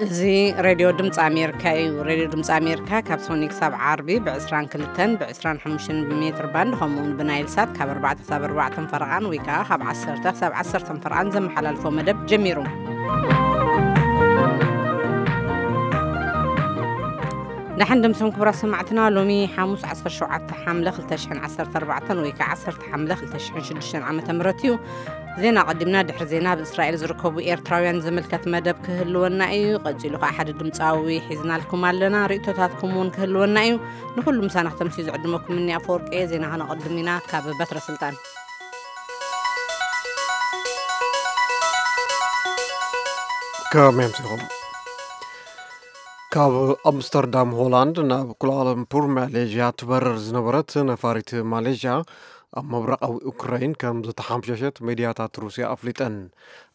እዚ ሬድዮ ድምፂ ኣሜሪካ እዩ። ሬድዮ ድምፂ ኣሜሪካ ካብ ሶኒ ክሳብ ዓርቢ ብ22 ብ25 ሜትር ባንድ፣ ከምኡ እውን ብናይል ሳት ካብ ኣርባዕተ ክሳብ ኣርባዕተ ፈረቓን ወይ ከዓ ካብ ዓሰርተ ክሳብ ዓሰርተ ፈረቓን ዘመሓላልፎ መደብ ጀሚሩ። ደሓን ደምስም ክቡራት ሰማዕትና፣ ሎሚ ሓሙስ ዓሰርተ ሸውዓተ ሓምለ ክልተ ሽሕን ዓሰርተ ኣርባዕተን ወይ ከዓ ዓሰርተ ሓምለ ክልተ ሽሕን ሽዱሽተን ዓመተ ምህረት እዩ። ዜና ቀዲምና፣ ድሕሪ ዜና ኣብ እስራኤል ዝርከቡ ኤርትራውያን ዝምልከት መደብ ክህልወና እዩ። ቀጺሉ ከዓ ሓደ ድምፃዊ ሒዝናልኩም ኣለና። ርእቶታትኩም እውን ክህልወና እዩ። ንኩሉ ምሳና ክተምስዩ ዝዕድመኩም እኒ ኣፈወርቂ እየ። ዜና ከነቐድም ኢና ካብ በትረ ስልጣን። ከመይ ኣምሲኹም? ካብ ኣምስተርዳም ሆላንድ ናብ ኩላላምፑር ማሌዥያ ትበርር ዝነበረት ነፋሪት ማሌዥያ ኣብ ምብራቓዊ ኡክራይን ከም ዝተሓምሸሸት ሚድያታት ሩስያ ኣፍሊጠን።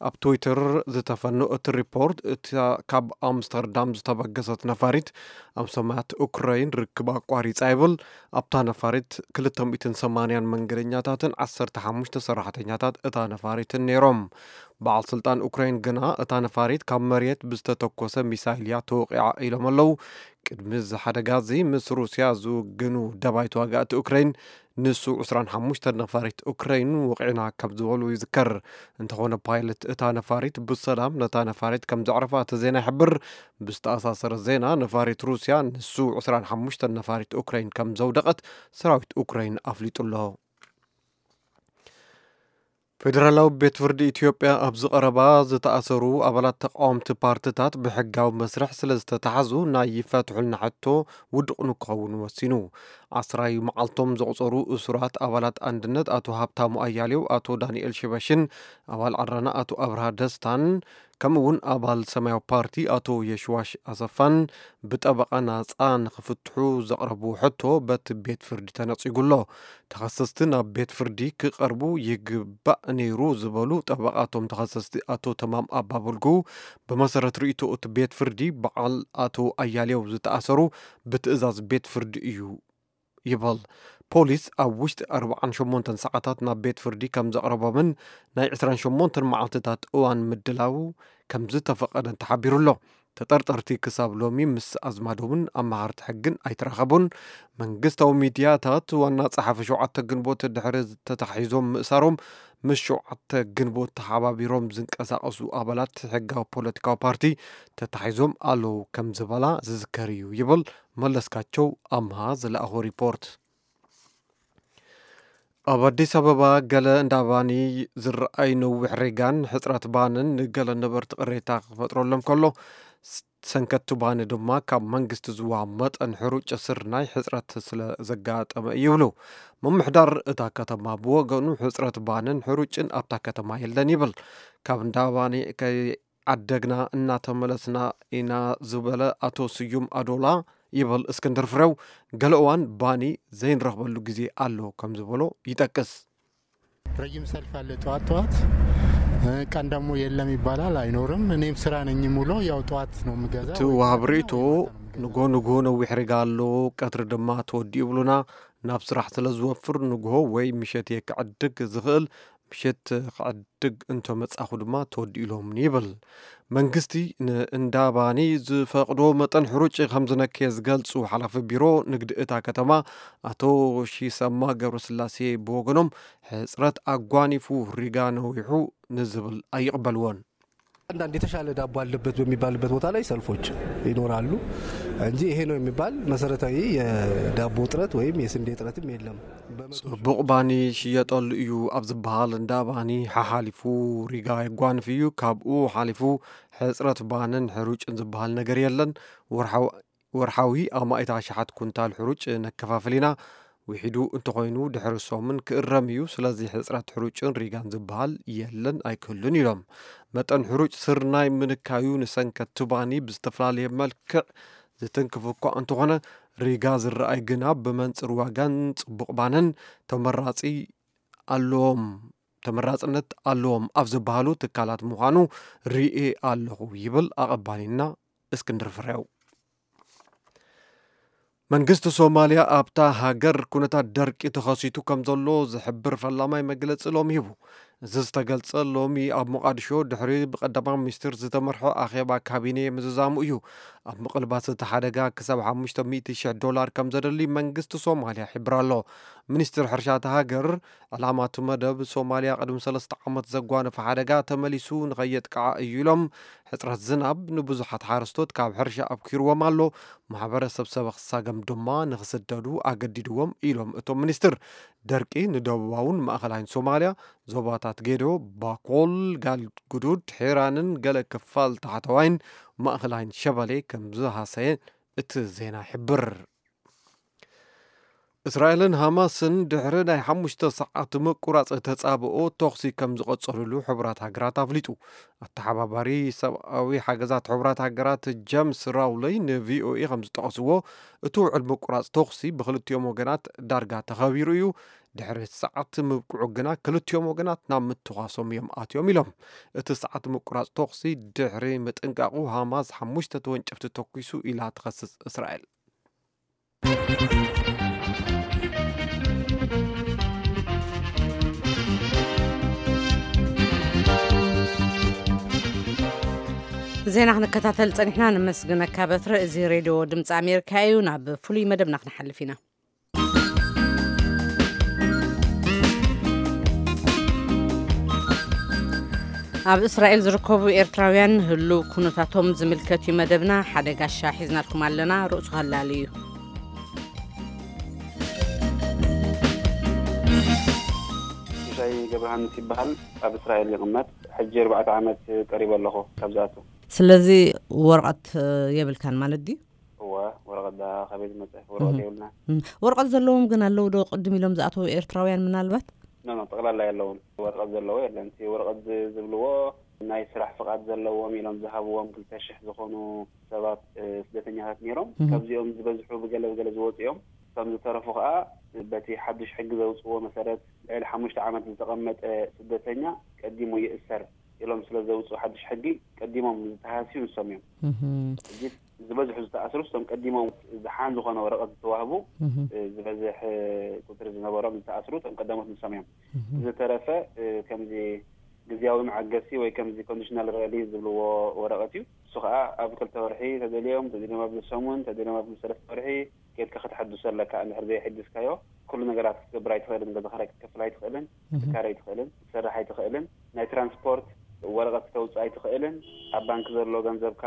ኣብ ትዊተር ዝተፈኖ እቲ ሪፖርት፣ እታ ካብ ኣምስተርዳም ዝተበገሰት ነፋሪት ኣብ ሰማያት ኡክራይን ርክብ ኣቋሪጻ ይብል። ኣብታ ነፋሪት ክልተ ሚእትን ሰማንያን መንገደኛታትን ዓሰርተ ሓሙሽተ ሰራሕተኛታት እታ ነፋሪትን ነይሮም። በዓል ስልጣን ኡክራይን ግና እታ ነፋሪት ካብ መሬት ብዝተተኮሰ ሚሳይል እያ ተወቒዓ ኢሎም ኣለዉ። ቅድሚ እዚ ሓደጋ እዚ ምስ ሩስያ ዝውግኑ ደባይ ተዋጋእቲ ኡክራይን ንሱ ዕስራን ሓሙሽተን ነፋሪት ኡክራይን ወቒዕና ከም ዝበሉ ይዝከር። እንተኾነ ፓይለት እታ ነፋሪት ብሰላም ነታ ነፋሪት ከም ዘዕረፋ እቲ ዜና ይሕብር። ብዝተኣሳሰረ ዜና፣ ነፋሪት ሩስያ ንሱ ዕስራን ሓሙሽተን ነፋሪት ኡክራይን ከም ዘውደቐት ሰራዊት ኡክራይን ኣፍሊጡ ኣሎ። ፌደራላዊ ቤት ፍርዲ ኢትዮጵያ ኣብዚ ቀረባ ዝተኣሰሩ ኣባላት ተቃወምቲ ፓርትታት ብሕጋዊ መስርሕ ስለ ዝተታሕዙ ናይ ይፈትሑልና ሕቶ ውዱቕ ንክኸውን ወሲኑ። ዓስራይ መዓልቶም ዘቑጸሩ እሱራት ኣባላት ኣንድነት ኣቶ ሃብታሙ ኣያሌው፣ ኣቶ ዳንኤል ሽበሽን ኣባል ዓረና ኣቶ ኣብርሃ ደስታን ከምኡ እውን ኣባል ሰማያዊ ፓርቲ ኣቶ የሽዋሽ ኣሰፋን ብጠበቓ ናጻ ንክፍትሑ ዘቕረብዎ ሕቶ በቲ ቤት ፍርዲ ተነጺጉ ኣሎ። ተኸሰስቲ ናብ ቤት ፍርዲ ክቐርቡ ይግባእ ነይሩ ዝበሉ ጠበቓ እቶም ተኸሰስቲ ኣቶ ተማም ኣባበልጉ፣ ብመሰረት ርእይቶ እቲ ቤት ፍርዲ በዓል ኣቶ ኣያሌው ዝተኣሰሩ ብትእዛዝ ቤት ፍርዲ እዩ ይበል። ፖሊስ ኣብ ውሽጢ ኣርባዓን ሸሞንተን ሰዓታት ናብ ቤት ፍርዲ ከም ዘቕረቦምን ናይ ዕስራን ሸሞንተን መዓልትታት እዋን ምድላው ከም ዝተፈቐደን ተሓቢሩ ኣሎ። ተጠርጠርቲ ክሳብ ሎሚ ምስ ኣዝማዶምን ኣመሃርቲ ሕግን ኣይተራኸቡን። መንግስታዊ ሚድያታት ዋና ጸሓፊ ሸውዓተ ግንቦት ድሕሪ ተታሒዞም ምእሳሮም ምስ ሸውዓተ ግንቦት ተሓባቢሮም ዝንቀሳቐሱ ኣባላት ሕጋዊ ፖለቲካዊ ፓርቲ ተታሒዞም ኣለዉ ከም ዝበላ ዝዝከር እዩ ይብል መለስካቸው ኣምሃ ዝለኣኾ ሪፖርት። ኣብ ኣዲስ ኣበባ ገለ እንዳ ባኒ ዝረኣይ ነዊሕ ሪጋን ሕጽረት ባንን ንገለ ነበርቲ ቅሬታ ክፈጥረሎም ከሎ፣ ስ-፣ ሰንከቲ ባኒ ድማ ካብ መንግስቲ ዝወሃብ መጠን ሕሩጭ ስርናይ ሕጽረት ስለ ዘጋጠመ እዩ ይብሉ። ምምሕዳር እታ ከተማ ብወገኑ ሕጽረት ባንን ሕሩጭን ኣብታ ከተማ የለን ይብል። ካብ እንዳ ባኒ ከይ ዓደግና እናተመለስና ኢና ዝበለ ኣቶ ስዩም ኣዶላ ይበል እስክንድር ፍሬው፣ ገለ እዋን ባኒ ዘይንረኽበሉ ግዜ ኣሎ ከም ዝበሎ ይጠቅስ። ረጅም ሰልፍ አለ ጠዋት ጠዋት፣ እ፣ ቀን ደግሞ የለም ይባላል፣ አይኖርም። እኔም ስራ ነኝ ሙሉ፣ ያው ጠዋት ነው የምገዛው። እቲ ወሃብ ርእይቶ፣ ንጎ ንጎ ነዊሕ ሪጋ ኣሎ፣ ቀትሪ ድማ ተወዲኡ ይብሉና። ናብ ስራሕ ስለ ዝወፍር ንግሆ ወይ ምሸት እየ ክዕድግ ዝኽእል። ምሸት ክዕድግ እንተመጻኹ ድማ ተወዲኡሎምኒ ይብል። መንግስቲ ንእንዳ ባኒ ዝፈቕዶ መጠን ሕሩጭ ከም ዝነከየ ዝገልጹ ሓላፊ ቢሮ ንግዲ እታ ከተማ ኣቶ ሺሰማ ገብረስላሴ ብወገኖም፣ ሕጽረት ኣጓኒፉ ሪጋ ነዊሑ ንዝብል ኣይቕበልዎን። አንዳንድ የተሻለ ዳቦ አለበት በሚባልበት ቦታ ላይ ሰልፎች ይኖራሉ እንጂ ይሄ ነው የሚባል መሰረታዊ የዳቦ እጥረት ወይም የስንዴ እጥረትም የለም። ጽቡቕ ባኒ ሽየጠሉ እዩ ኣብ ዝበሃል እንዳ ባኒ ሓሓሊፉ ሪጋ የጓንፍ እዩ። ካብኡ ሓሊፉ ሕጽረት ባንን ሕሩጭን ዝበሃል ነገር የለን። ወርሓዊ ወርሓዊ ኣማኢት ኣሽሓት ኩንታል ሕሩጭ ነከፋፍል ኢና። ውሒዱ እንተኾይኑ ድሕሪ ሰሙን ክእረም እዩ። ስለዚ ሕጽረት ሕሩጭን ሪጋን ዝበሃል የለን ኣይክህሉን ኢሎም። መጠን ሕሩጭ ስርናይ ምንካዩ ንሰንከት ትባኒ ብዝተፈላለየ መልክዕ ዝትንክፍ እኳ እንተኾነ፣ ሪጋ ዝረኣይ ግና ብመንጽር ዋጋን ጽቡቕ ባንን ተመራጺ ኣለዎም፣ ተመራጽነት ኣለዎም ኣብ ዝበሃሉ ትካላት ምዃኑ ርእየ ኣለኹ ይብል ኣቐባሊና እስክንድር ፍሬው። መንግስቲ ሶማልያ ኣብታ ሃገር ኩነታት ደርቂ ተኸሲቱ ከም ዘሎ ዝሕብር ፈላማይ መግለጺ ሎሚ ሂቡ። እዚ ዝተገልጸ ሎሚ ኣብ ሞቓዲሾ ድሕሪ ብቀዳማይ ሚኒስትር ዝተመርሐ ኣኼባ ካቢኔ ምዝዛሙ እዩ። ኣብ ምቕልባስ እቲ ሓደጋ ክሳብ ሓሙሽተ ሚእቲ ሽሕ ዶላር ከም ዘደሊ መንግስቲ ሶማልያ ይሕብር ኣሎ። ሚኒስትር ሕርሻ እታ ሃገር፣ ዕላማ እቲ መደብ ሶማልያ ቅድሚ ሰለስተ ዓመት ዘጓነፈ ሓደጋ ተመሊሱ ንኸየጥቅዓ እዩ ኢሎም። ሕጽረት ዝናብ ንብዙሓት ሓረስቶት ካብ ሕርሻ ኣብኪርዎም ኣሎ። ማሕበረሰብ ሰበኽ ሳገም ድማ ንኽስደዱ ኣገዲድዎም ኢሎም እቶም ሚኒስትር። ደርቂ ንደቡባውን ማእኸላይን ሶማልያ፣ ዞባታት ጌዶ፣ ባኮል፣ ጋልጉዱድ፣ ሒራንን ገለ ክፋል ታሕተዋይን ማእኸላይን ሸበሌ ከም ዝሃሰየ እቲ ዜና ይሕብር። እስራኤልን ሃማስን ድሕሪ ናይ ሓሙሽተ ሰዓት ምቁራጽ ተጻብኦ ተኹሲ ከም ዝቐጸሉሉ ሕቡራት ሃገራት ኣፍሊጡ። ኣተሓባባሪ ሰብኣዊ ሓገዛት ሕቡራት ሃገራት ጀምስ ራውለይ ንቪኦኤ ከም ዝጠቐስዎ፣ እቲ ውዕል ምቁራጽ ተኹሲ ብክልቲኦም ወገናት ዳርጋ ተኸቢሩ እዩ። ድሕሪ ሰዓት ምብቅዑ ግና ክልቲኦም ወገናት ናብ ምትኳሶም እዮም ኣትዮም ኢሎም። እቲ ሰዓት ምቁራጽ ተኹሲ ድሕሪ ምጥንቃቑ ሃማስ ሓሙሽተ ተወንጨፍቲ ተኩሱ ኢላ ትኸስስ እስራኤል። ዜና ክንከታተል ጸኒሕና፣ ነመስግነካ በትረ። እዚ ሬድዮ ድምፂ ኣሜሪካ እዩ። ናብ ፍሉይ መደብና ክንሓልፍ ኢና። ኣብ እስራኤል ዝርከቡ ኤርትራውያን ህሉው ኩነታቶም ዝምልከት እዩ መደብና። ሓደ ጋሻ ሒዝናልኩም ኣለና፣ ርእሱ ሃላሉ እዩ። ሽሻይ ገብረሃንስ ይበሃል። ኣብ እስራኤል ይቕመጥ። ሕጂ ኣርባዕተ ዓመት ቀሪበ ኣለኹ ካብ ዝኣቱ። ስለዚ ወረቐት የብልካን ማለት ድዩ? እወ፣ ወረቐት ዳ ካበይ ዝመፀ ወረቐት የብልና። ወረቐት ዘለዎም ግን ኣለዉ ዶ ቅድም ኢሎም ዝኣተዉ ኤርትራውያን ምናልባት? ኖ ኖ፣ ጠቕላላ የለውን። ወረቐት ዘለዎ የለን። እቲ ወረቐት ዝ- ዝብልዎ ናይ ስራሕ ፍቓድ ዘለዎም ኢሎም ዝሃብዎም ክልተ ሽሕ ዝኾኑ ሰባት እ፣ ስደተኛታት ነይሮም። ካብዚኦም ዝበዝሑ ብገለ ብገለ ዝወፁ እዮም። እቶም ዝተረፉ ከዓ በቲ ሓዱሽ ሕጊ ዘውፅዎ መሰረት ልዕሊ ሓሙሽተ ዓመት ዝተቐመጠ ስደተኛ ቀዲሙ ይእሰር ኢሎም ስለ ዘውፅኡ ሓዱሽ ሕጊ ቀዲሞም ዝተሃስዩ ንሶም እዮም። ሕጂ ዝበዝሑ ዝተኣስሩ እቶም ቀዲሞም ዝሓን ዝኾነ ወረቐት ዝተዋህቡ እ፣ ዝበዝሕ እ፣ ቁፅሪ ዝነበሮም ዝተኣስሩ እቶም ቀዳሞት ንሶም እዮም። ዝተረፈ እ፣ ከምዚ ግዝያዊ መዓገሲ ወይ ከምዚ ኮንዲሽናል ሪሊዝ ዝብልዎ ወረቐት እዩ። እሱ ከዓ ኣብ ክልተ ወርሒ ተደልዮም ተደልዮም ኣብ ሰሙን ተደልዮም ኣብ ሰለስተ ወርሒ ኬድካ ከተሐድሶ ኣለካ። እንድሕር ዘይሐድስካዮ ኩሉ ነገራት ክትገብር ኣይትኽእልን። ገዛ ክራይ ክትከፍል ኣይትኽእልን፣ ክትካረ ኣይትኽእልን፣ ክትሰርሕ ኣይትኽእልን፣ ናይ ትራንስፖርት ወረቐት ክተውፅእ ኣይትኽእልን፣ ኣብ ባንክ ዘሎ ገንዘብካ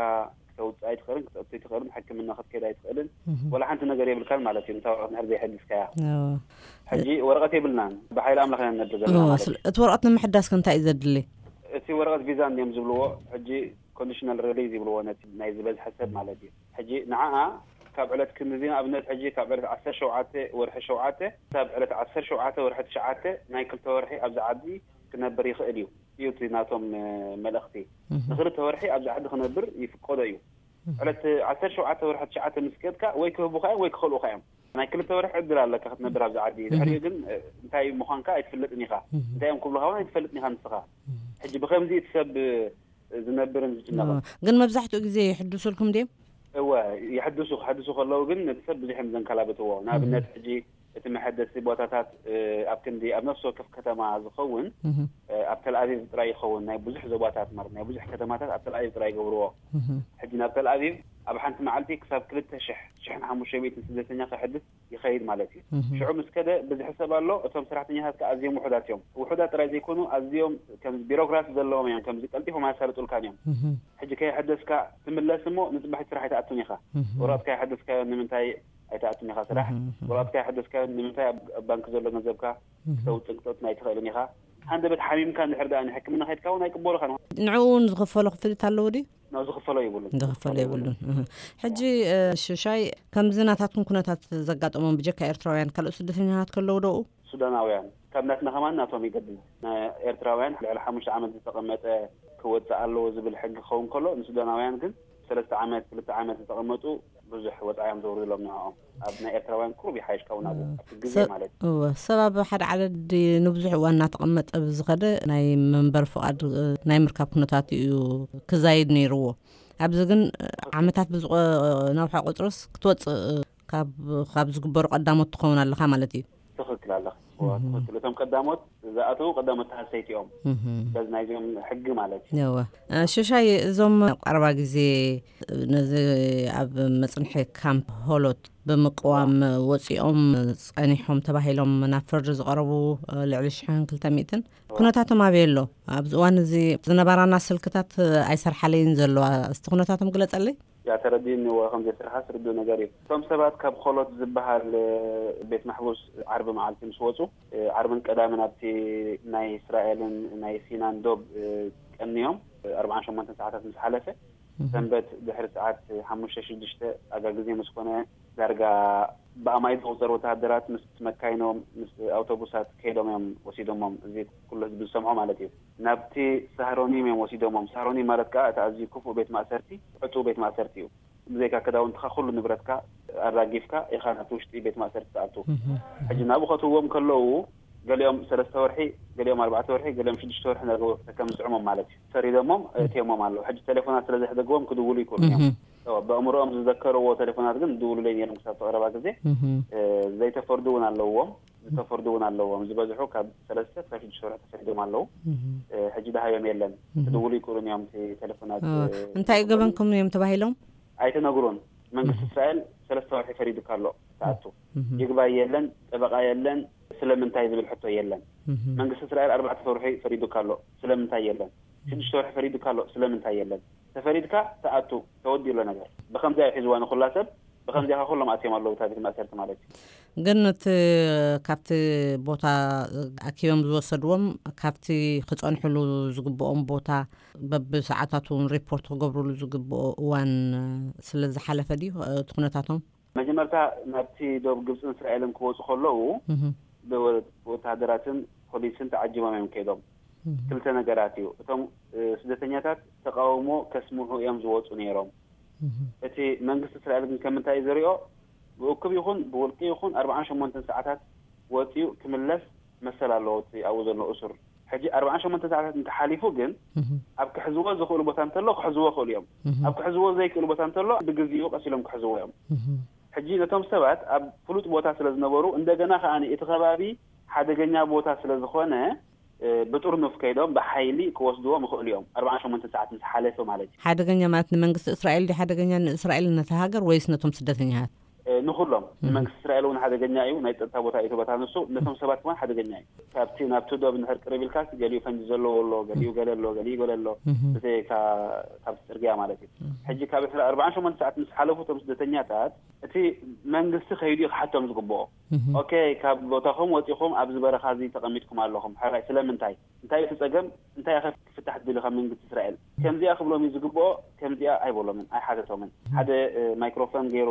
ክተውፅእ ኣይትኽእልን፣ ክተእቱ ኣይትኽእልን፣ ሕክምና ክትከይድ ኣይትኽእልን፣ ወላ ሓንቲ ነገር የብልካን ማለት እዩ። ነታ ወረቐት እንድሕር ዘይሐድስካያ ሕጂ ወረቐት የብልናን፣ ብሓይሊ ኣምላኽ ኢና ንነብር ዘለና ማለት እዩ። እቲ ወረቐት ንምሕዳስ ከ እንታይ እዩ ዘድሊ? እቲ ወረቐት ቪዛ እንድዮም ዝብልዎ ሕጂ ኮንዲሽናል ሪሊዝ ይብልዎ ነቲ ናይ ዝበዝሐ ሰብ ማለት እዩ። ሕጂ ንዓኣ ካብ ዕለት ክንድዚ ንኣብነት ሕጂ ካብ ዕለት ዓሰርተ ሸውዓተ ወርሒ ሸውዓተ ክሳብ ዕለት ዓሰርተ ሸውዓተ ወርሒ ትሽዓተ ናይ ክልተ ወርሒ ኣብዚ ዓዲ ክነብር ይኽእል እዩ እዩ እቲ ናቶም እ፣ መልእኽቲ። ንክልተ ወርሒ ኣብዚ ዓዲ ክነብር ይፍቀዶ እዩ። ዕለት ዓሰርተ ሸውዓተ ወርሒ ትሽዓተ ምስ ከድካ ወይ ክህቡኻ እዮም ወይ ክኸልኡኻ እዮም። ናይ ክልተ ወርሒ ዕድል ኣለካ ክትነብር ኣብዚ ዓዲ። ድሕሪኡ ግን እ፣ እንታይ ምዃንካ ኣይትፍለጥን ኢኻ። እንታይ እዮም ክብሉኻ እውን ኣይትፈልጥን ኢኻ ንስኻ። ሕጂ ብኸምዚ እቲ ሰብ እ፣ ዝነብርን ዝጭነቕን። ግን መብዛሕትኡ ግዜ ይሕድሱልኩም ድዮም? እወ፣ ይሕድሱ። ክሕድሱ ከለዉ ግን ነቲ ሰብ ብዙሕ እዮም ዘንከላብትዎ። ንኣብነት ሕጂ እቲ መሐደሲ ቦታታት እ፣ ኣብ ክንዲ ኣብ ነፍሲ ወከፍ ከተማ ዝኸውን እ፣ ኣብ ተልኣቪቭ ጥራይ ይኸውን። ናይ ብዙሕ ዞባታት ማለት ናይ ብዙሕ ከተማታት ኣብ ተልኣቪቭ ጥራይ ይገብርዎ። ሕጂ ናብ ተልኣቪቭ ኣብ ሓንቲ መዓልቲ ክሳብ ክልተ ሽሕ፣ ሽሕን ሓሙሽተ ሚእትን ስደተኛ ከሕድስ ይኸይድ ማለት እዩ። ሽዑ ምስ ከደ ብዝሒ ሰብ ኣሎ። እቶም ሰራሕተኛታት ከኣ ኣዝዮም ውሑዳት እዮም። ውሑዳት ጥራይ ዘይኮኑ ኣዝዮም ከም ቢሮክራሲ ዘለዎም እዮም። ከምዚ ቀልጢፎም ኣያሳልጡልካን እዮም። ሕጂ ከየሐደስካ ትምለስ እሞ ንጽባሕ ስራሕ ኣይትኣቱን ኢኻ። ወረቐትካ የሐደስካዮ ንምንታይ ኣይትኣቱን ኢኻ ስራሕ? ወረቐትካ የሐደስካዮ ንምንታይ ኣብ ኣብ ባንክ ዘሎ ገንዘብካ ክተውጽእን ክተእቱን ኣይትኽእልን ኢኻ? ሃንደበት ሓሚምካ እንድሕር ደኣ ንሕክምና ከይድካ እውን ኣይቅበሉኻን። ንዕኡ እውን ዝኽፈሎ ክፍሊት ኣለዎ ድዩ? ናብ ዝኽፈሎ የብሉን። ዝኽፈሎ የብሉን። እህ። ሕጂ እ፣ ሽሻይ ከምዚ ናታትኩም ኩነታት ዘጋጠሞም ብጀካ ኤርትራውያን ካልኦት ስደተኛታት ከለዉ ዶ ኣብኡ? ሱዳናውያን ካብ ናትና ከማን ናቶም ይገድል። ኤርትራውያን ልዕሊ ሓሙሽተ ዓመት ዝተቐመጠ ክወፅእ ኣለዎ ዝብል ሕጊ ክኸውን ከሎ ንሱዳናውያን ግን ሰለስተ ዓመት ክልተ ዓመት ዝተቐመጡ ብዙሕ ወፃ እዮም ዘውርድሎም ንዕኦም። ኣብ ናይ ኤርትራውያን ቁሩብ ይሓይሽ ካብኡ ናብኡ ኣብቲ ግዜ ማለት እዩ። እወ፣ ሰብ ኣብ ሓደ ዓደዲ ንብዙሕ እዋን እናተቐመጠ ብዝኸደ ናይ መንበሪ ፍቓድ እ፣ ናይ ምርካብ ኩነታት እዩ ክዛይድ ነይርዎ። ኣብዚ ግን እ፣ ዓመታት ብዝቆ ነውሓ ቁፅርስ ክትወፅእ እ፣ ካብ ካብ ዝግበሩ ቀዳሞት ትኸውን ኣለኻ ማለት እዩ። ትኽክል ኣለኻ። እቶም ቀዳሞት ዝኣተዉ ቀዳሞት ተሃሰይቲ እዮም። በዚ ናይዚኦም ሕጊ ማለት እዩ። ሽሻይ፣ እዞም ኣብ ቀረባ ግዜ ነዚ ኣብ መፅንሒ ካምፕ ሆሎት ብምቅዋም ወፂኦም ፀኒሖም ተባሂሎም ናብ ፍርዲ ዝቐረቡ ልዕሊ ሽሕን ክልተ ሚእትን ኩነታቶም ኣበይ ኣሎ? ኣብዚ እዋን እዚ ዝነበራና ስልክታት ኣይሰርሓለይን ዘለዋ፣ እስቲ ኩነታቶም ግለፀለይ። ያ ተረዲእኒ፣ እወ፣ ከም ዘይሰርሓ ስርዱእ ነገር እዩ። እቶም ሰባት ካብ ኾሎት ዝበሃል ቤት ማሕቡስ ዓርቢ መዓልቲ ምስ ወፁ፣ ዓርብን ቀዳምን ኣብቲ ናይ እስራኤልን ናይ ሲናን ዶብ ቀንዮም፣ ኣርባዓን ሸሞንተን ሰዓታት ምስ ሓለፈ፣ ሰንበት ድሕሪ ሰዓት ሓሙሽተ ሽዱሽተ ኣጋ ግዜ ምስ ኮነ፣ ዳርጋ ብኣማኢት ዝቑጸሩ ወተሃደራት ምስ መካይኖም፣ ምስ ኣውቶቡሳት ከይዶም እዮም ወሲዶሞም። እዚ ኩሉ ህዝቢ ዝሰምዖ ማለት እዩ። ናብቲ ሳህሮኒም እዮም ወሲዶሞም። ሳህሮኒም ማለት ከኣ እቲ ኣዝዩ ክፉእ ቤት ማእሰርቲ፣ ዕጹው ቤት ማእሰርቲ እዩ። ብዘይካ ክዳውንትኻ፣ ኩሉ ንብረትካ ኣራጊፍካ ኢኻ ናብቲ ውሽጢ ቤት ማእሰርቲ ትኣቱ። ሕጂ ናብኡ ከእትውዎም ከለዉ፣ ገሊኦም ሰለስተ ወርሒ፣ ገሊኦም ኣርባዕተ ወርሒ፣ ገሊኦም ሽዱሽተ ወርሒ ነርገው ከም ዝጥዕሞም ማለት እዩ። ፈሪዶሞም፣ እትዮሞም ኣለዉ። ሕጂ ቴሌፎናት ስለ ዘሕደግዎም ክድውሉ ይክእሉ እዮም። እወ፣ ብኣእምሮኦም ዝዘከርዎ ቴሌፎናት ግን ዝድውሉለይ ነይሮም ክሳብ እቲ ቀረባ ግዜ። ዘይተፈርዱ እውን ኣለዎም፣ ዝተፈርዱ እውን ኣለዎም። ዝበዝሑ ካብ ሰለስተ ክሳብ ሽዱሽተ ወርሒ ተፈሪዶም ኣለዉ። ሕጂ ደሃዮም የለን። ክድውሉ ይክእሉን እዮም እቲ ቴሌፎናት። እንታይ ገበንኩም እዮም ተባሂሎም? ኣይተነግሩን። መንግስቲ እስራኤል ሰለስተ ወርሒ ፈሪዱካ ኣሎ፣ ትኣቱ። ይግባይ የለን፣ ጠበቃ የለን፣ ስለምንታይ ዝብል ሕቶ የለን። መንግስቲ እስራኤል ኣርባዕተ ወርሒ ፈሪዱካ ኣሎ፣ ስለምንታይ የለን? ሽዱሽተ ወርሒ ፈሪዱካ ኣሎ፣ ስለምንታይ የለን? ተፈሪድካ ትኣቱ፣ ተወዲኡ ኣሎ ነገር። ብኸምዚኣ እዩ ሒዝዋ ንኹላ ሰብ፣ ብኸምዚኣ ከ ኩሎም ኣትዮም ኣለዉ እታ ቤት ማእሰርቲ ማለት እዩ። ግን እቲ ካብቲ ቦታ ኣኪቦም ዝወሰድዎም፣ ካብቲ ክጸንሕሉ ዝግብኦም ቦታ በብሰዓታቱ እውን ሪፖርት ክገብሩሉ ዝግብኦ እዋን ስለ ዝሓለፈ ድዩ እቲ ኩነታቶም? መጀመርታ ናብቲ ዶብ ግብፅን እስራኤልን ክወፁ ከለዉ፣ ብወ-፣ ብወተሃደራትን ፖሊስን ተዓጂቦም እዮም ከይዶም። ክልተ ነገራት እዩ። እቶም ስደተኛታት ተቃውሞ ከስምዑ እዮም ዝወፁ ነይሮም። እቲ መንግስቲ እስራኤል ግን ከምንታይ እዩ ዝሪኦ? ብእኩብ ይኹን ብውልቂ ይኹን ኣርባዓን ሸሞንተን ሰዓታት ወፂኡ ክምለስ መሰል ኣለዎ እቲ ኣብኡ ዘሎ እሱር። ሕጂ ኣርባዓን ሸሞንተን ሰዓታት እንተሓሊፉ ግን፣ ኣብ ክሕዝዎ ዝኽእሉ ቦታ እንተሎ ክሕዝዎ ይኽእሉ እዮም። ኣብ ክሕዝዎ ዘይክእሉ ቦታ እንተሎ ብግዜኡ ቀስ ኢሎም ክሕዝዎ እዮም። ሕጂ ነቶም ሰባት ኣብ ፍሉጥ ቦታ ስለ ዝነበሩ፣ እንደገና ከኣ እቲ ከባቢ ሓደገኛ ቦታ ስለ ዝኾነ፣ ብጥርኑፍ ከይዶም ብሓይሊ ክወስድዎም ይኽእሉ እዮም፣ ኣርባዓን ሸሞንተን ሰዓት ምስ ሓለፈ ማለት እዩ። ሓደገኛ ማለት ንመንግስቲ እስራኤል ድዩ ሓደገኛ፣ ንእስራኤል ነቲ ሃገር፣ ወይስ ነቶም ስደተኛታት? ንኹሎም። ንመንግስቲ እስራኤል እውን ሓደገኛ እዩ፣ ናይ ጸጥታ ቦታ እዩ እቲ ቦታ ንሱ፣ ነቶም ሰባት እውን ሓደገኛ እዩ። ካብቲ ናብቲ ዶብ እንድሕር ቅርብ ኢልካስ፣ ገሊኡ ፈንጂ ዘለዎ ኣሎ፣ ገሊኡ ገለ ኣሎ፣ ገሊኡ ገለ ኣሎ፣ ብዘይካ ካብቲ ጽርግያ ማለት እዩ። ሕጂ ካብ ኣርባዓን ሸሞንተ ሰዓት ምስ ሓለፉ እቶም ስደተኛታት፣ እቲ መንግስቲ ከይዱ እዩ ክሓቶም ዝግብኦ። ኦኬ፣ ካብ ቦታኹም ወጺኹም ኣብዚ በረኻ እዚ ተቐሚጥኩም ኣለኹም፣ ሕራይ ስለምንታይ? እንታይ እቲ ጸገም? እንታይ ኢኸ ክፍታሕ ትደሊ ካብ መንግስቲ እስራኤል? ከምዚኣ ክብሎም እዩ ዝግብኦ፣ ከምዚኣ ኣይበሎምን፣ ኣይሓተቶምን። ሓደ ማይክሮፎን ገይሩ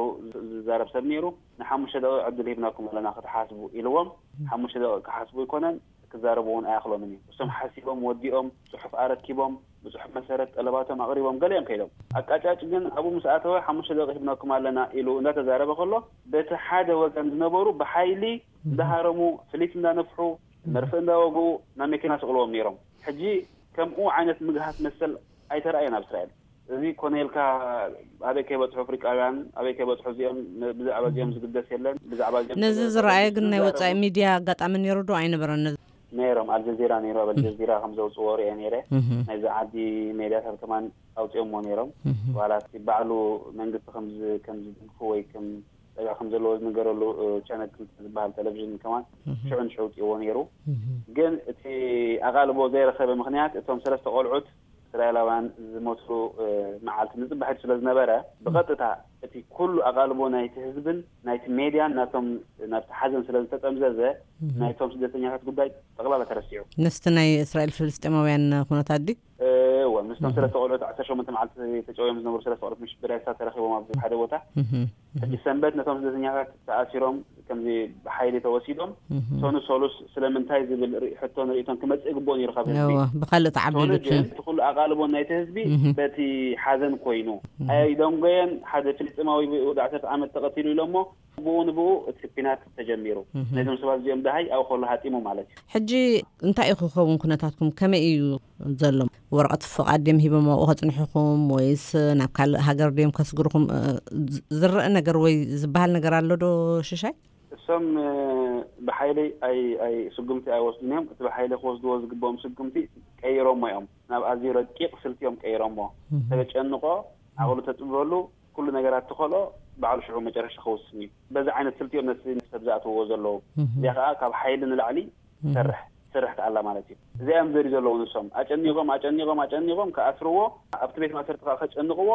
ዝዛረብ ሰብ ነይሩ። ንሓሙሽተ ደቂቕ ዕድል ሂብናኩም ኣለና ክትሓስቡ ኢልዎም። ሓሙሽተ ደቂቕ ክሓስቡ ኣይኮነን፣ ክዛረቡ እውን ኣይኣኽሎምን እዩ። እሶም ሓሲቦም ወዲኦም፣ ጽሑፍ ኣረኪቦም፣ ብጽሑፍ መሰረት ጠለባቶም ኣቕሪቦም፣ ገሊኦም ከይዶም። ኣቃጫጭ ግን ኣብኡ ምስ ኣተወ፣ ሓሙሽተ ደቂቕ ሂብናኩም ኣለና ኢሉ እንዳተዛረበ ከሎ፣ በቲ ሓደ ወገን ዝነበሩ ብሓይሊ እንዳሃረሙ፣ ፍሊት እንዳነፍሑ፣ መርፍእ እንዳወግኡ ናብ መኪና ስቕልዎም ነይሮም። ሕጂ ከምኡ ዓይነት ምግሃስ መሰል ኣይተራእየን ኣብ እስራኤል። እዚ ኮነ ኢልካ ኣበይ ከይበጽሑ ኣፍሪቃውያን፣ ኣበይ ከይበጽሑ እዚኦም፣ ብዛዕባ እዚኦም ዝግደስ የለን፣ ብዛዕባ እዚኦም ነዚ ዝረኣየ ግን ናይ ወጻኢ ሚድያ ኣጋጣሚ ነይሩ ዶ ኣይነበረን? ነይሮም፣ ኣልጀዚራ ነይሩ፣ ኣብ ኣልጀዚራ ከም ዘውጽዎ ርእየ ነይረ። ናይዚ ዓዲ ሜድያታት ከማን ኣውጺኦሞ ነይሮም። ዋላ እቲ ባዕሉ መንግስቲ ከም ዝ-፣ ከም ዝድግፉ ወይ ከም ጸጋ ከም ዘለዎ ዝንገረሉ ቻነል ክልተ ዝበሃል ቴሌቪዥን ከማን ሽዑ ንሽዑ ኣውጺእዎ ነይሩ። ግን እቲ ኣቓልቦ ዘይረኸበ ምኽንያት፣ እቶም ሰለስተ ቆልዑት እስራኤላውያን ዝሞትሉ መዓልቲ ንጽባሕ ስለ ዝነበረ፣ ብቐጥታ እቲ ኩሉ ኣቓልቦ ናይቲ ህዝብን ናይቲ ሜድያን ናቶም ናብቲ ሓዘን ስለ ዝተጠምዘዘ፣ ናይቶም ስደተኛታት ጉዳይ ጠቕላላ ተረሲዑ። ነስቲ ናይ እስራኤል ፍልስጤማውያን ኩነታት ድዩ? እወ፣ ምስቶም ሰለስተ ቆልዑት ዓሰርተ ሸሞንተ መዓልቲ ተጨውዮም ዝነበሩ ሰለስተ ቆልዑት ምሽ ብሬሳ ተረኺቦም ኣብ ሓደ ቦታ። ሕጂ ሰንበት ነቶም ስደተኛታት ተኣሲሮም፣ ከምዚ ብሓይሊ ተወሲዶም፣ ሰኑ ሰሉስ ስለምንታይ ዝብል ርኢ-፣ ሕቶን ርእይቶን ክመጽእ ይግብኦ ነይሩ ካብ ህዝቢ። እወ፣ ብኻልእ ተዓቢሉ ሰኑ ግን እቲ። እቲ ኩሉ ኣቓልቦ ናይቲ ህዝቢ በቲ ሓዘን ኮይኑ ኣይደንጎየን። ሓደ ፍልስጤማዊ ወዲ ዓሰርተ ዓመት ተቐቲሉ ኢሎሞ፣ ብኡ ንብኡ እቲ ኲናት ተጀሚሩ። ነዞም ሰባት እዚኦም ደሃይ ኣብኡ ከሎ ሃጢሙ ማለት እዩ። ሕጂ እንታይ እዩ ክኸውን ኩነታትኩም? ከመይ እዩ ዘሎ? ወረቐት ፍቓድ ድዮም ሂቦም ኣብኡ ከጽንሑኹም፣ ወይስ ናብ ካልእ ሃገር ድዮም ከስግርኹም? እ፣ ዝ-፣ ዝረአ ነገር ወይ ዝበሃል ነገር ኣሎ ዶ ሽሻይ? እሶም ብሓይሊ ኣይ ኣይ ስጉምቲ ኣይወስዱን እዮም። እቲ ብሓይሊ ክወስድዎ ዝግብኦም ስጉምቲ ቀይሮሞ እዮም። ናብ ኣዝዩ ረቂቕ ስልቲ እዮም ቀይሮሞ። ተጨንቆ ዓቕሉ ተጥበሉ ኩሉ ነገራት ተኸልኦ ባዕሉ ሽዑ መጨረሻ ክውስን እዩ። በዚ ዓይነት ስልቲ እዮም ነቲ ሰብ ዝኣትውዎ ዘለዉ። እዚኣ ከዓ ካብ ሓይሊ ንላዕሊ ትሰርሕ ትሰርሕ ከኣላ ማለት እዩ። እዚኣ እዮም ዘርዩ ዘለዉ ንሶም። ኣጨኒቖም ኣጨኒቖም ኣጨኒቖም ከኣስርዎ፣ ኣብቲ ቤት ማእሰርቲ ከዓ ከጨንቕዎ።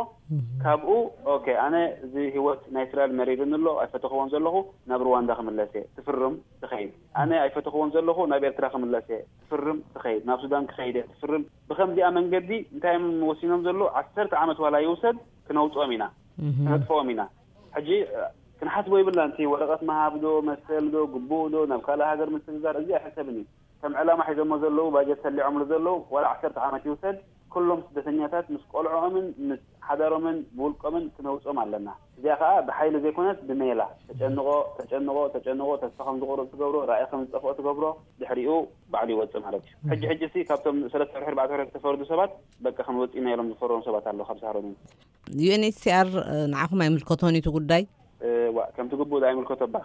ካብኡ ኦኬ፣ ኣነ እዚ ህይወት ናይ እስራኤል መሪርኒ ኣሎ፣ ኣይፈተኽዎን ዘለኹ፣ ናብ ሩዋንዳ ክምለስ እየ። ትፍርም ትኸይድ። ኣነ ኣይፈተኽዎን ዘለኹ፣ ናብ ኤርትራ ክምለስ እየ። ትፍርም ትኸይድ። ናብ ሱዳን ክኸይድ እየ። ትፍርም። ብኸምዚኣ መንገዲ እንታይ እዮም ወሲኖም ዘለዉ? ዓሰርተ ዓመት ዋላ ይውሰድ፣ ክነውፅኦም ኢና፣ ክነጥፍኦም ኢና። ሕጂ ክንሓስቦ ይብልና። እቲ ወረቐት ምሃብ ዶ መሰል ዶ ግቡእ ዶ ናብ ካልእ ሃገር ምስግጋር፣ እዚ ኣይሕሰብን እዩ። ከም ዕላማ ሒዞሞ ዘለዉ፣ ባጀት ሰሊዖምሉ ዘለዉ፣ ዋላ ዓሰርተ ዓመት ይውሰድ፣ ኩሎም ስደተኛታት ምስ ቆልዕኦምን ምስ ሓዳሮምን ብውልቆምን ክነውፅኦም ኣለና። እዚኣ ከዓ ብሓይሊ ዘይኮነስ ብሜላ። ተጨንቆ ተጨንቆ ተጨንቆ፣ ተስፋ ከም ዝቆርፅ ትገብሮ፣ ራእይ ከም ዝጠፍኦ ትገብሮ፣ ድሕሪኡ ባዕሉ ይወፅእ ማለት እዩ። ሕጂ ሕጂ ሲ ካብቶም ሰለስተ ወርሒ ኣርባዕተ ወርሒ ዝተፈርዱ ሰባት በቃ ክንወፅእ ኢና ኢሎም ዝፈረሙ ሰባት ኣለዉ ካብ ሳሮን። ዩ ኤን ኤች ሲ ኣር ንዓኹም ኣይምልከቶን እዩ እቲ ጉዳይ? ዋ፣ ከምቲ ግቡእ ኣይምልከቶ ባ።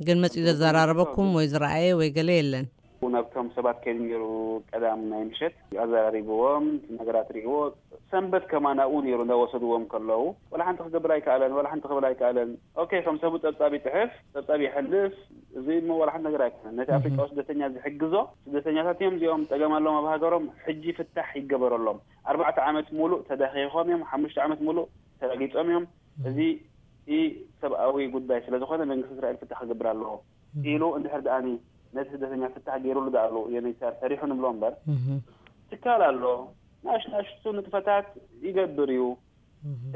ግን መፂኡ ዘዘራረበኩም ወይ ዝረኣየ ወይ ገለ የለን? ናብቶም ሰባት ከይዱ ነይሩ፣ ቀዳም ናይ ምሸት ኣዘራሪብዎም፣ እቲ ነገራት ርእዎ። ሰንበት ከማን ኣብኡ ነይሩ እንዳወሰድዎም ከለዉ፣ ዋላ ሓንቲ ክገብር ኣይከኣለን፣ ዋላ ሓንቲ ክብል ኣይከኣለን። ኦኬ፣ ከም ሰቡ ጸብጻብ ይጽሕፍ፣ ጸብጻብ ይሕልፍ፣ እዚ እሞ ዋላ ሓንቲ ነገር ኣይኮነን። ነቲ ኣፍሪቃዊ ስደተኛ ዝሕግዞ ስደተኛታት እዮም እዚኦም፣ ጸገም ኣለዎም ኣብ ሃገሮም፣ ሕጂ ፍታሕ ይገበረሎም። ኣርባዕተ ዓመት ሙሉእ ተዳኺኾም እዮም፣ ሓሙሽተ ዓመት ሙሉእ ተረጊጾም እዮም። እዚ ኢ ሰብኣዊ ጉዳይ ስለ ዝኾነ መንግስቲ እስራኤል ፍታሕ ክገብር ኣለዎ ኢሉ እንድሕር ደኣኒ ነቲ ስደተኛ ፍታሕ ገይሩሉ ደኣሉ ዩ ኤን ኤች ሲ ኣር ሰሪሑ ንብሎ እምበር፣ ትካል ኣሎ፣ ናሽ ናሽቱ ንጥፈታት ይገብር እዩ።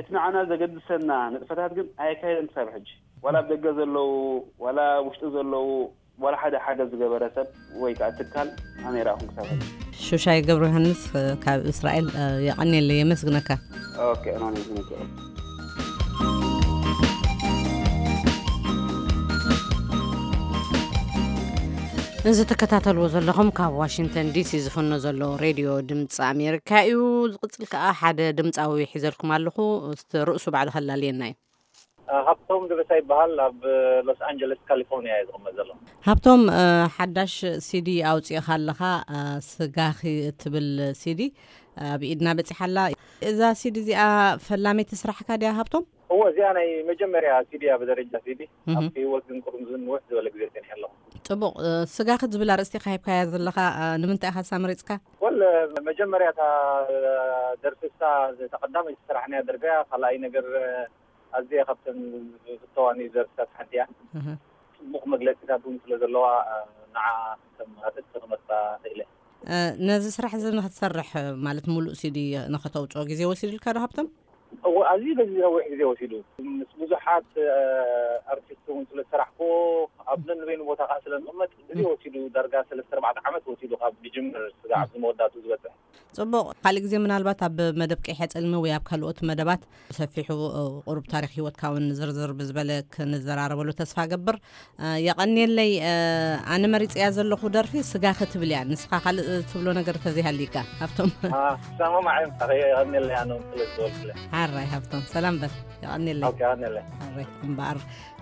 እቲ ንዓና ዘገድሰና ንጥፈታት ግን ኣየካየደን ክሳብ ሕጂ። ዋላ ኣብ ደገ ዘለዉ፣ ዋላ ውሽጢ ዘለዉ፣ ዋላ ሓደ ሓገዝ ዝገበረ ሰብ ወይ ከዓ ትካል ኣነ ይረኣኹም ክሳብ ሕጂ። ሹሻይ ገብረ ዮሃንስ ካብ እስራኤል፣ የቐንየለይ፣ የመስግነካ። ኦኬ፣ ኣነ የመስግነካ። እዚ ትከታተልዎ ዘለኹም ካብ ዋሽንግተን ዲሲ ዝፍኖ ዘሎ ሬድዮ ድምፂ ኣሜሪካ እዩ። ዝቕፅል ከዓ ሓደ ድምፃዊ ሒዘልኩም ኣለኹ። እስቲ ርእሱ ባዕሉ ከላልየና እዩ። ሃብቶም ደበሳ ይበሃል። ኣብ ሎስ ኣንጀለስ ካሊፎርኒያ እየ ዝቕመጥ ዘለኹ። ሃብቶም፣ ሓዳሽ ሲዲ ኣውፂእኻ ኣለኻ፣ ስጋኺ እትብል ሲዲ ኣብ ኢድና በፂሓ ኣላ። እዛ ሲዲ እዚኣ ፈላመይቲ ስራሕካ ድያ ሃብቶም? እወ፣ እዚኣ ናይ መጀመርያ ሲዲ እያ ብደረጃ ሲዲ። ኣብቲ ህይወት ግን ቅድም ዝንውሕ ዝበለ ግዜ ጸኒሐ ኣለኹ። ጽቡቕ። ስጋኺ ዝብል ኣርእስቲ ኢኻ ሂብካያ ዘለኻ፣ ንምንታይ ኢኻ እሳ መሪጽካ? ወል፣ መጀመርያ እታ ደርፊ እሳ፣ እታ ቀዳመይቲ ዝሰራሕናያ ደርፊ እያ። ካልኣይ ነገር፣ ኣዝየ ካብተን ዝፍተዋኒ ደርፍታት ሓንቲ እያ። ጽቡቕ መግለጺታት እውን ስለ ዘለዋ፣ ንዓ ከም ኣርእስቲ ክመርጻ ክኢለ። ነዚ ስራሕ እዚ ንኽትሰርሕ፣ ማለት፣ ሙሉእ ሲዲ ንኸተውጽኦ ግዜ ወሲዱልካ ዶ ሃብቶም? እወ፣ ኣዝዩ በዚ ነዊሕ ግዜ ወሲዱ። ምስ ብዙሓት ኣርቲስት እውን ስለ ዝሰራሕኩ፣ ኣብ ነንበይኑ ቦታ ከዓ ስለ ንቕመጥ፣ ግዜ ወሲዱ። ዳርጋ ሰለስተ ኣርባዕተ ዓመት ወሲዱ ካብ ዝጅምር ስጋዕ ኣብዚ መወዳእቱ ዝበፅሕ። ጽቡቕ። ካልእ ግዜ ምናልባት ኣብ መደብ ቀይሐ ጸልሚ ወይ ኣብ ካልኦት መደባት ብሰፊሑ፣ ቁሩብ ታሪኽ ህይወትካ እውን ዝርዝር ብዝበለ ክንዘራረበሉ ተስፋ እገብር። የቐንየለይ። ኣነ መሪጸያ ዘለኹ ደርፊ ስጋኺ ትብል እያ። ንስኻ ካልእ ትብሎ ነገር ተዘይሃልይካ፣ ሃብቶም። ሰማማዕ እዮም። የቐንየለይ፣ ኣነ እውን ስለ ዝበልኩለ። ሓራይ ሃብቶም፣ ሰላም በል። የቐንየለይ። ኦኬ፣ የቐንየለይ። ሓራይ እምበኣር፣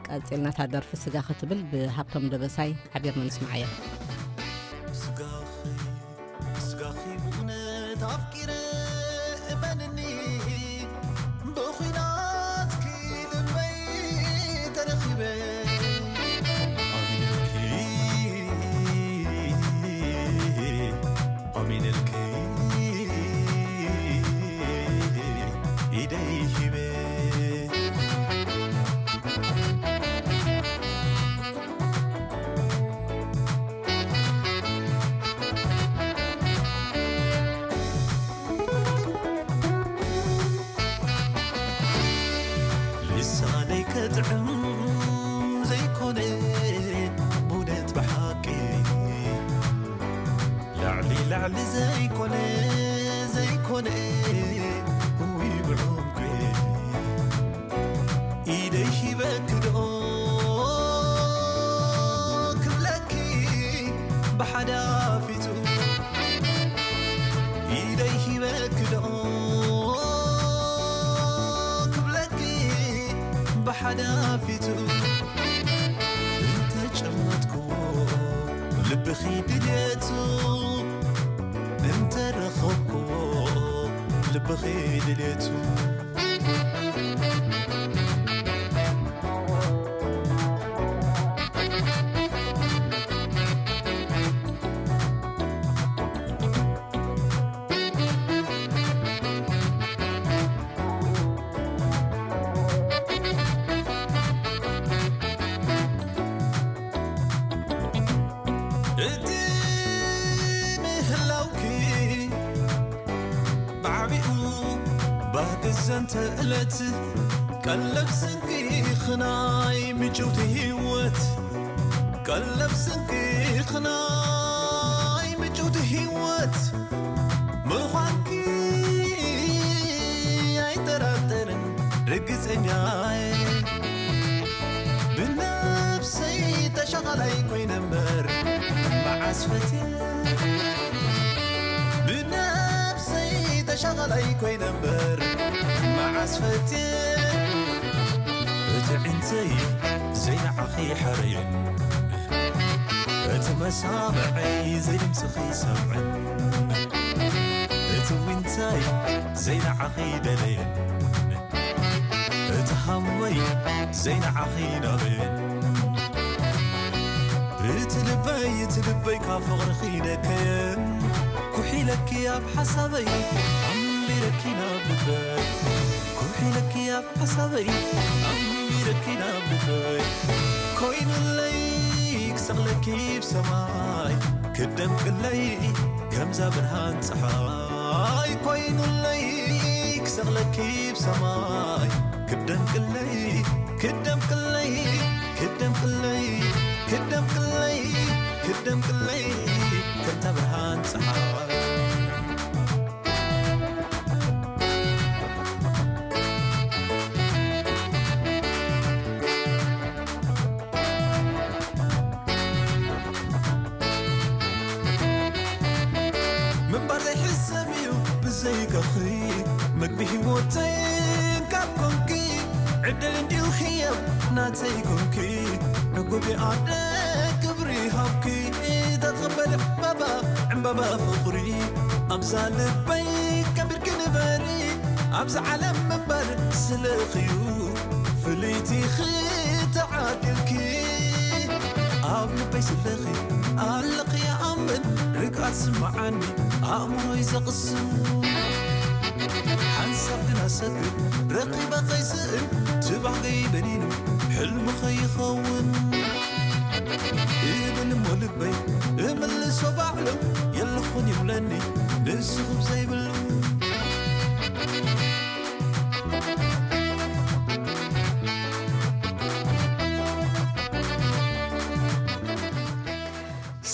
ቀጺልና እታ ደርፊ ስጋኺ ትብል ብሃብቶም ደበሳይ ሓቢርና ንስምዓያ። ስጋኺ፣ ስጋኺ ብእውነት ኣፍቂረ፣ እመንኒ፣ ብኹናትኪ ልበይ ተረኺበ። ኣሚነልኪ፣ ኣሚነልኪ፣ ኢደይ ሂበ። ልሳነይ ከጥዕም ዘይኮነ ብእውነት ብሓቂ ላዕሊ ላዕሊ ዘይኮነ ዘይኮነ ውይ ብዕምቂ ኢደይ ሂበኪ ዶ ክብለኪ ብሓዳፊቱ ኢደይ ሂበኪ ዶ ክብለኪ ብሓዳፊቱ እንተ ብኺድ ድሌቱ እቲ ምህላውኪ ብዓቢኡ ባህጊ ዘንተ ዕለት ቀለብ ስንቂ ኽናይ ምጭውቲ ህይወት ቀለብ ስንቂ ኽናይ ምጭውቲ ህይወት ምዃንኪ ኣይጠራጠርን ርግጸኛየ ብነብሰይ ተሻቓላይ ኮይነ እምበር መዓስ ፈትየ ብነብሰይ ተሻቓላይ ኮይነ እምበር መዓስ ፈትየ እቲ ዒንተይ ዘይንዓኺ ሓረየን እቲ መሳምዐይ ዘይድምፅኺ ሰምዐን እቲ ዊንታይ ዘይንዓኺ ደለየን እቲ ሃመይ ዘይንዓኺ ናበየን እቲ ልበይ እቲ ልበይ ካብ ፍቕርኺ ነከየን ኩሒለኪ ኣብ ሓሳበይ ኣንቢረኪ ናብ ልበይ ኩሒለኪ ኣብ ሓሳበይ ኣንቢረኪ ናብ ልበይ ኮይኑለይ ክሰቕለኪ ብሰማይ ክደምቅለይ ከምዛ ብርሃን ፀሓይ ኮይኑለይ ክሰቕለኪ ብሰማይ ክደምቅለይ ክደምቅለይ ክደምቅለይ ክደምቅለይ ክደምቅለይ ከምታ ብርሃን ፀሓይ ምንባር ዘይሕሰብ እዩ ብዘይከኺ ምግቢ ህይወተይን ካብ ኮንኪ ዕድል እንዲዩ ህያብ ናተይ ኮንኪ ዕጉቢ ኣደ ክብሪ ሃብኪ ተቐበል ዕምባባ ዕምባባ ፍቕሪ ኣብዛ ልበይ ከቢርኪ ንበሪ ኣብዚ ዓለም ምንባር ስለኽዩ ፍልይቲ ኽተዓድልኪ ኣብ ልበይ ስለኺ ኣለኺ ይኣምን ርግኣት ስምዓኒ ኣእምሮይ ዘቕስን ሓንሳብ ግን ኣሰግር ረኺበ ኸይስእን ትባህገይ በኒኑ ሕልሚ ኸይኸውን እብል እሞ ልበይ እምልሶ ባዕሉ የለኹን ይብለኒ ንስኹም ዘይብሉ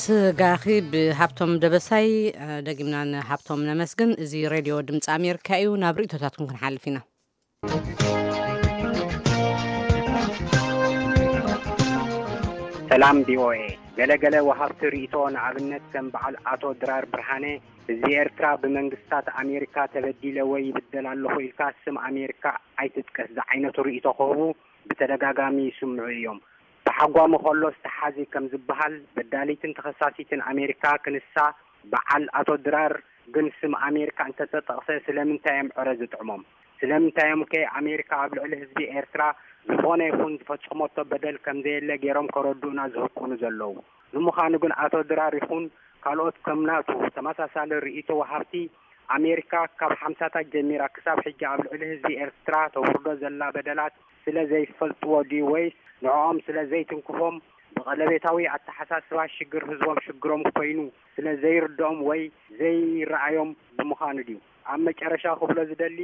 ስጋኺ ብሃብቶም ደበሳይ። ደጊምና ንሃብቶም ነመስግን። እዚ ሬድዮ ድምፂ ኣሜሪካ እዩ። ናብ ርእቶታትኩም ክንሓልፍ ኢና። ሰላም ቪኦኤ። ገለገለ ወሃብቲ ርእቶ ንኣብነት ከም በዓል ኣቶ ድራር ብርሃነ ህዝቢ ኤርትራ ብመንግስታት ኣሜሪካ ተበዲለ ወይ ይብደል ኣለኹ ኢልካ ስም ኣሜሪካ ኣይትጥቀስ ዝዓይነቱ ርእቶ ክህቡ ብተደጋጋሚ ይስምዑ እዮም። ተሓጓሚ ከሎ ዝተሓዚ ከም ዝበሃል በዳሊትን ተኸሳሲትን ኣሜሪካ ክንሳ በዓል ኣቶ ድራር ግን ስም ኣሜሪካ እንተተጠቕሰ ስለምንታይ እዮም ዕረ ዝጥዕሞም? ስለምንታይ እዮም ከ ኣሜሪካ ኣብ ልዕሊ ህዝቢ ኤርትራ ዝኾነ ይኹን ዝፈጸመቶ በደል ከምዘየለ ገይሮም ከረድኡና ዝህቁኑ ዘለዉ? ንምዃኑ ግን ኣቶ ድራር ይኹን ካልኦት ከም ናቱ ተመሳሳሊ ርእይቶ ወሃብቲ ኣሜሪካ ካብ ሓምሳታት ጀሚራ ክሳብ ሕጂ ኣብ ልዕሊ ህዝቢ ኤርትራ ተውርዶ ዘላ በደላት ስለ ዘይፈልጥዎ ድዩ ወይስ ንዕኦም ስለ ዘይትንክፎም ብቐለቤታዊ ኣተሓሳስባ ሽግር ህዝቦም ሽግሮም ኮይኑ ስለ ዘይርድኦም ወይ ዘይረኣዮም ብምዃኑ ድዩ? ኣብ መጨረሻ ክብሎ ዝደሊ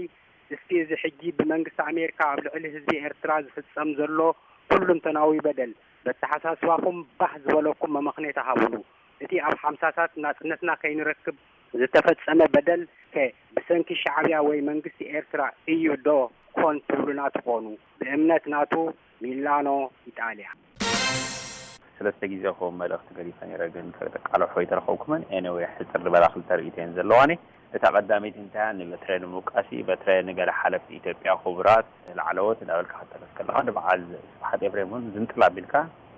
እስኪ እዚ ሕጂ ብመንግስቲ ኣሜሪካ ኣብ ልዕሊ ህዝቢ ኤርትራ ዝፍጸም ዘሎ ኩሉንተናዊ በደል በተሓሳስባኹም ባህ ዝበለኩም መመኽነይታ ሃቡሉ። እቲ ኣብ ሓምሳታት ናጽነትና ከይንረክብ ዝተፈጸመ በደል ከ ብሰንኪ ሻዕብያ ወይ መንግስቲ ኤርትራ እዩ ዶ ኮን ትብሉና ትኾኑ? ብእምነት ናቱ ሚላኖ ኢጣልያ። ሰለስተ ግዜ ከምኡ መልእኽቲ ገዲፈ ነይረ ግን ከቃልሖ ኣይተረኸብኩምን። Anyway ሕጽር ዝበላ ክልተ ርእይቶ እየን ዘለዋኒ። እታ ቀዳመይቲ እንታይ እያ? ንበትረ ንምውቃስ እዩ። በትረ ንገለ ሓለፍቲ ኢትዮጵያ ክቡራት፣ ላዕለዎት እንዳበልካ ክትጠቅስ ከለኻ ንበዓል ስብሓት ኤፍሬም እውን ዝንጥል ኣቢልካ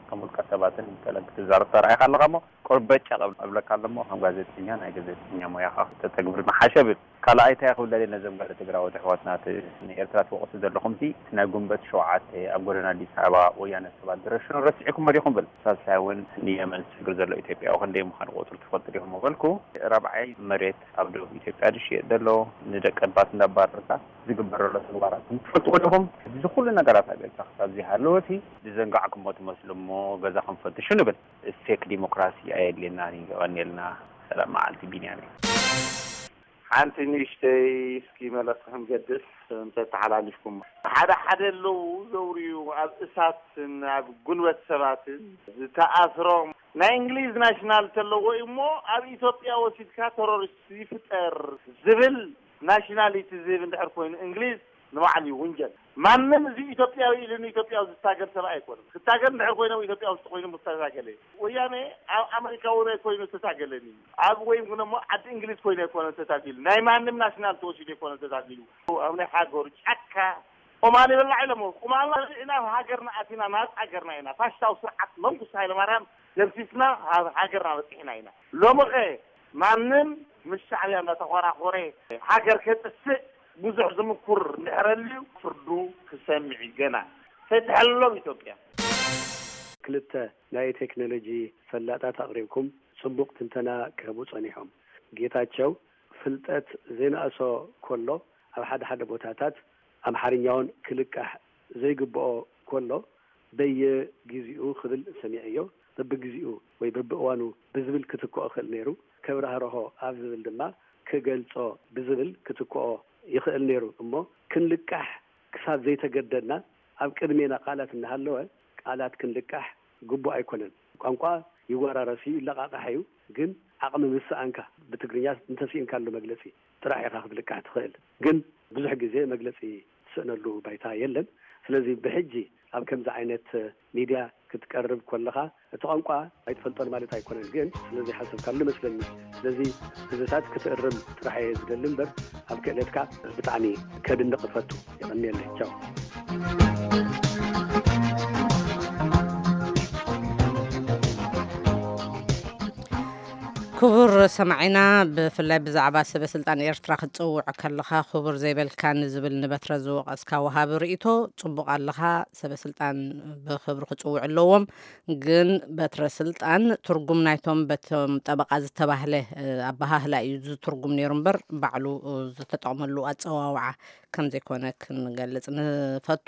ከም ውልቀ ሰባትን ገለን ክትዛረብ ተራኢኻ ኣለኻ እሞ ቁርበጫ እብለካ ኣለሞ ከም ጋዜጠኛ ናይ ጋዜጠኛ ሞያኻ ተተግብር መሓሸ ብል። ካልኣይ እንታይ ክብለል ነዞም ጋለ ትግራዎት ኣሕዋትና፣ እቲ ንኤርትራ ትወቕሱ ዘለኹም ሲ እቲ ናይ ጉንበት ሸውዓተ ኣብ ጎደና ኣዲስ ኣበባ ወያነ ሰባት ዝረሽኑ ረሲዕኩም መሪኹም ብል። ሳልሳይ እውን ንየመን ዝስግር ዘሎ ኢትዮጵያዊ ክንደይ ምዃኑ ቁፅሪ ትፈልጡ ዲኹም በልኩ። ራብዓይ መሬት ኣብ ደቡብ ኢትዮጵያ ዝሽየጥ ዘሎ ንደቂ ባት እንዳባረርካ ዝግበር ዘሎ ተግባራት ትፈልጥዎ ዲኹም? እዚ ኩሉ ነገራት ኣብ ኤርትራ ክሳብ ዘይሃለወ ሲ ዝዘንጋዕኩሞ ትመስሉ እሞ ገዛኹም ፈትሹ ንብል። ፌክ ዲሞክራሲ ኣየድልየናን እዩ። የቐንየልና። ሰላም መዓልቲ ቢንያም እዩ። ሓንቲ ንእሽተይ እስኪ መለስ ክንገድፍ እንተተሓላሊፍኩም። ሓደ ሓደ ኣለዉ ዘውርዩ ኣብ እሳትን ኣብ ጉልበት ሰባትን ዝተኣስሮም ናይ እንግሊዝ ናሽናል ተለዎ እዩ እሞ ኣብ ኢትዮጵያ ወሲድካ ተሮሪስት ይፍጠር ዝብል ናሽናሊቲ ዝህብ እንድሕር ኮይኑ እንግሊዝ ንባዕሉ እዩ ውንጀል። ማንም እዚ ኢትዮጵያዊ ኢሉ ንኢትዮጵያ ዝታገል ሰብ ኣይኮነን። ክታገል እንድሕር ኮይነ ኢትዮጵያ ውሽጢ ኮይኑ ምስተታገለ እዩ። ወያነ ኣብ ኣመሪካ እውን ኣይኮይኑ ዝተታገለን እዩ። ኣብ ወይም ግን እሞ ዓዲ እንግሊዝ ኮይኑ ኣይኮነ ተታጊሉ። ናይ ማንም ናሽናል ተወሲዱ ኣይኮነ ተታጊሉ። ኣብ ናይ ሓገሩ ጫካ ቁማል ይበላዕ ኢሎሞ። ቁማል ኢና ሃገርና ኣቲና ናብ ሃገርና ኢና። ፋሽስታዊ ስርዓት መንግስቲ ሃይለማርያም ደምሲስና ኣብ ሃገርና በፂሕና ኢና። ሎሚ ኸ ማንም ምስ ሻዕብያ እናተኾራኾረ ሃገር ከጥፍእ ብዙሕ ዝምኩር እንድሕረልዩ ፍርዱ ክሰምዕ እዩ ገና። ፈትሐሎም ኢትዮጵያ። ክልተ ናይ ቴክኖሎጂ ፈላጣት ኣቕሪብኩም ጽቡቕ ትንተና ክህቡ ጸኒሖም። ጌታቸው ፍልጠት ዘይነኣሶ ኮሎ ኣብ ሓደ ሓደ ቦታታት ኣምሓርኛውን ክልቃሕ ዘይግብኦ ኮሎ በየጊዜኡ ክብል ሰሚዐዮ። በብጊዜኡ ወይ በብእዋኑ ብዝብል ክትክኦ ክእል ነይሩ። ከብራህርሆ ኣብ ዝብል ድማ ክገልጾ ብዝብል ክትክኦ ይኽእል ነይሩ። እሞ ክንልቃሕ ክሳብ ዘይተገደድና ኣብ ቅድሜና ቃላት እናሃለወ ቃላት ክንልቃሕ ግቡእ ኣይኮነን። ቋንቋ ይወራረስ እዩ፣ ይለቃቃሕ እዩ። ግን ዓቕሚ ምስ ሰኣንካ ብትግርኛ እንተስኢንካሉ መግለጺ ጥራሕ ኢኻ ክትልቃሕ ትኽእል። ግን ብዙሕ ግዜ መግለጺ ትስእነሉ ባይታ የለን። ስለዚ ብሕጂ ኣብ ከምዚ ዓይነት ሚድያ ክትቀርብ ከለኻ እቲ ቋንቋ ኣይትፈልጦን ማለት ኣይኮነን። ግን ስለዚ ሓሰብካሉ መስለኒ። ስለዚ እዚታት ክትእርም ጥራሕ እየ ዝደሊ እምበር ኣብ ክእለትካ ብጣዕሚ ከድንቕ እፈቱ። የቐንየለይ። ቻው። ክቡር ሰማዒና፣ ብፍላይ ብዛዕባ ሰበ ስልጣን ኤርትራ ክትጽውዕ ከለኻ ክቡር ዘይበልካኒ ዝብል ንበትረ ዝወቐስካ ወሃቢ ርእይቶ ጽቡቕ ኣለኻ። ሰበ ስልጣን ብክብሪ ክጽውዕ ኣለዎም። ግን በትረ ስልጣን ትርጉም ናይቶም በቶም ጠበቓ ዝተባህለ ኣበሃህላ እዩ ዝትርጉም ነይሩ እምበር ባዕሉ ዝተጠቕመሉ ኣጸዋውዓ ከም ዘይኮነ ክንገልጽ ንፈቱ።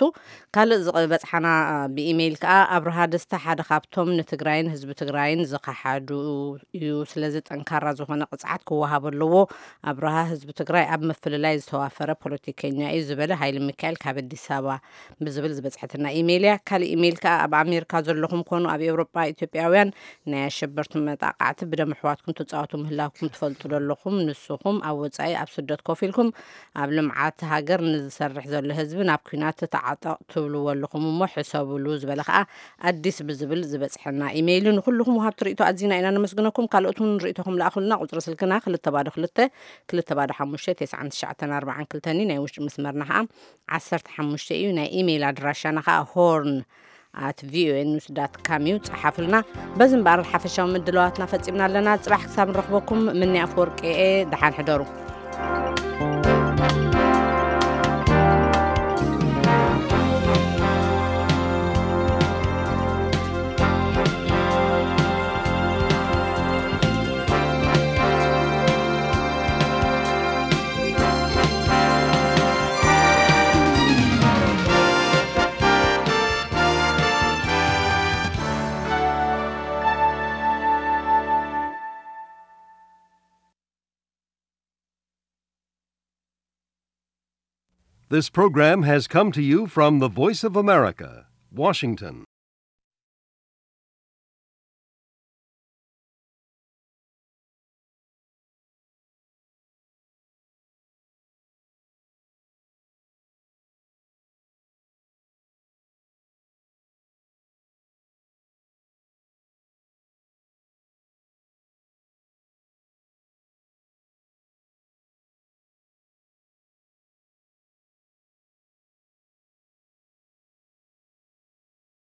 ካልእ ዝበጽሓና ብኢሜይል ከኣ ኣብርሃ ደስታ ሓደ ካብቶም ንትግራይን ህዝቢ ትግራይን ዝኸሓዱ እዩ። ስለዚ ጠንካራ ዝኾነ ቅጽዓት ክወሃቦ ኣለዎ። ኣብርሃ ህዝቢ ትግራይ ኣብ ምፍልላይ ዝተዋፈረ ፖለቲከኛ እዩ ዝበለ ሃይለ ሚካኤል ካብ ኣዲስ ኣበባ ብዝብል ዝበጽሐትና ኢሜይል እያ። ካልእ ኢሜይል ከኣ ኣብ ኣሜሪካ ዘለኹም ኮኑ ኣብ ኤውሮጳ ኢትዮጵያውያን ናይ ኣሸበርቲ መጣቃዕቲ ብደም ኣሕዋትኩም ትጻወቱ ምህላውኩም ትፈልጡ ዶ ኣለኹም? ንስኹም ኣብ ወጻኢ ኣብ ስደት ኮፍ ኢልኩም ኣብ ልምዓት ሃገር ንዝሰርሕ ዘሎ ህዝቢ ናብ ኲናት ተዓጠቕ ትብልዎ ኣለኹም እሞ ሕሰብሉ ዝበለ ከኣ ኣዲስ ብዝብል ዝበጽሐና ኢሜይል እዩ። ንኹልኹም ወሃብቲ ርእይቶ ኣዚና ኢና ነመስግነኩም። ካልኦት እውን ርእይቶኹም ለኣኹልና። ቁጽሪ ስልክና ክልተ ባዶ ክልተ ክልተ ባዶ ሓሙሽተ ተስዓን ትሽዓተን ኣርባዓን ክልተን እዩ። ናይ ውሽጢ መስመርና ከኣ ዓሰርተ ሓሙሽተ እዩ። ናይ ኢሜይል ኣድራሻና ከኣ ሆርን ኣት ቪኦኤ ኒውስ ዳት ካም እዩ። ጸሓፉልና። በዚ እምበኣር ሓፈሻዊ ምድላዋትና ፈጺምና ኣለና። ጽባሕ ክሳብ ንረኽበኩም ምኒ ኣፍወርቂ እየ። ደሓን ሕደሩ። This program has come to you from the Voice of America, Washington.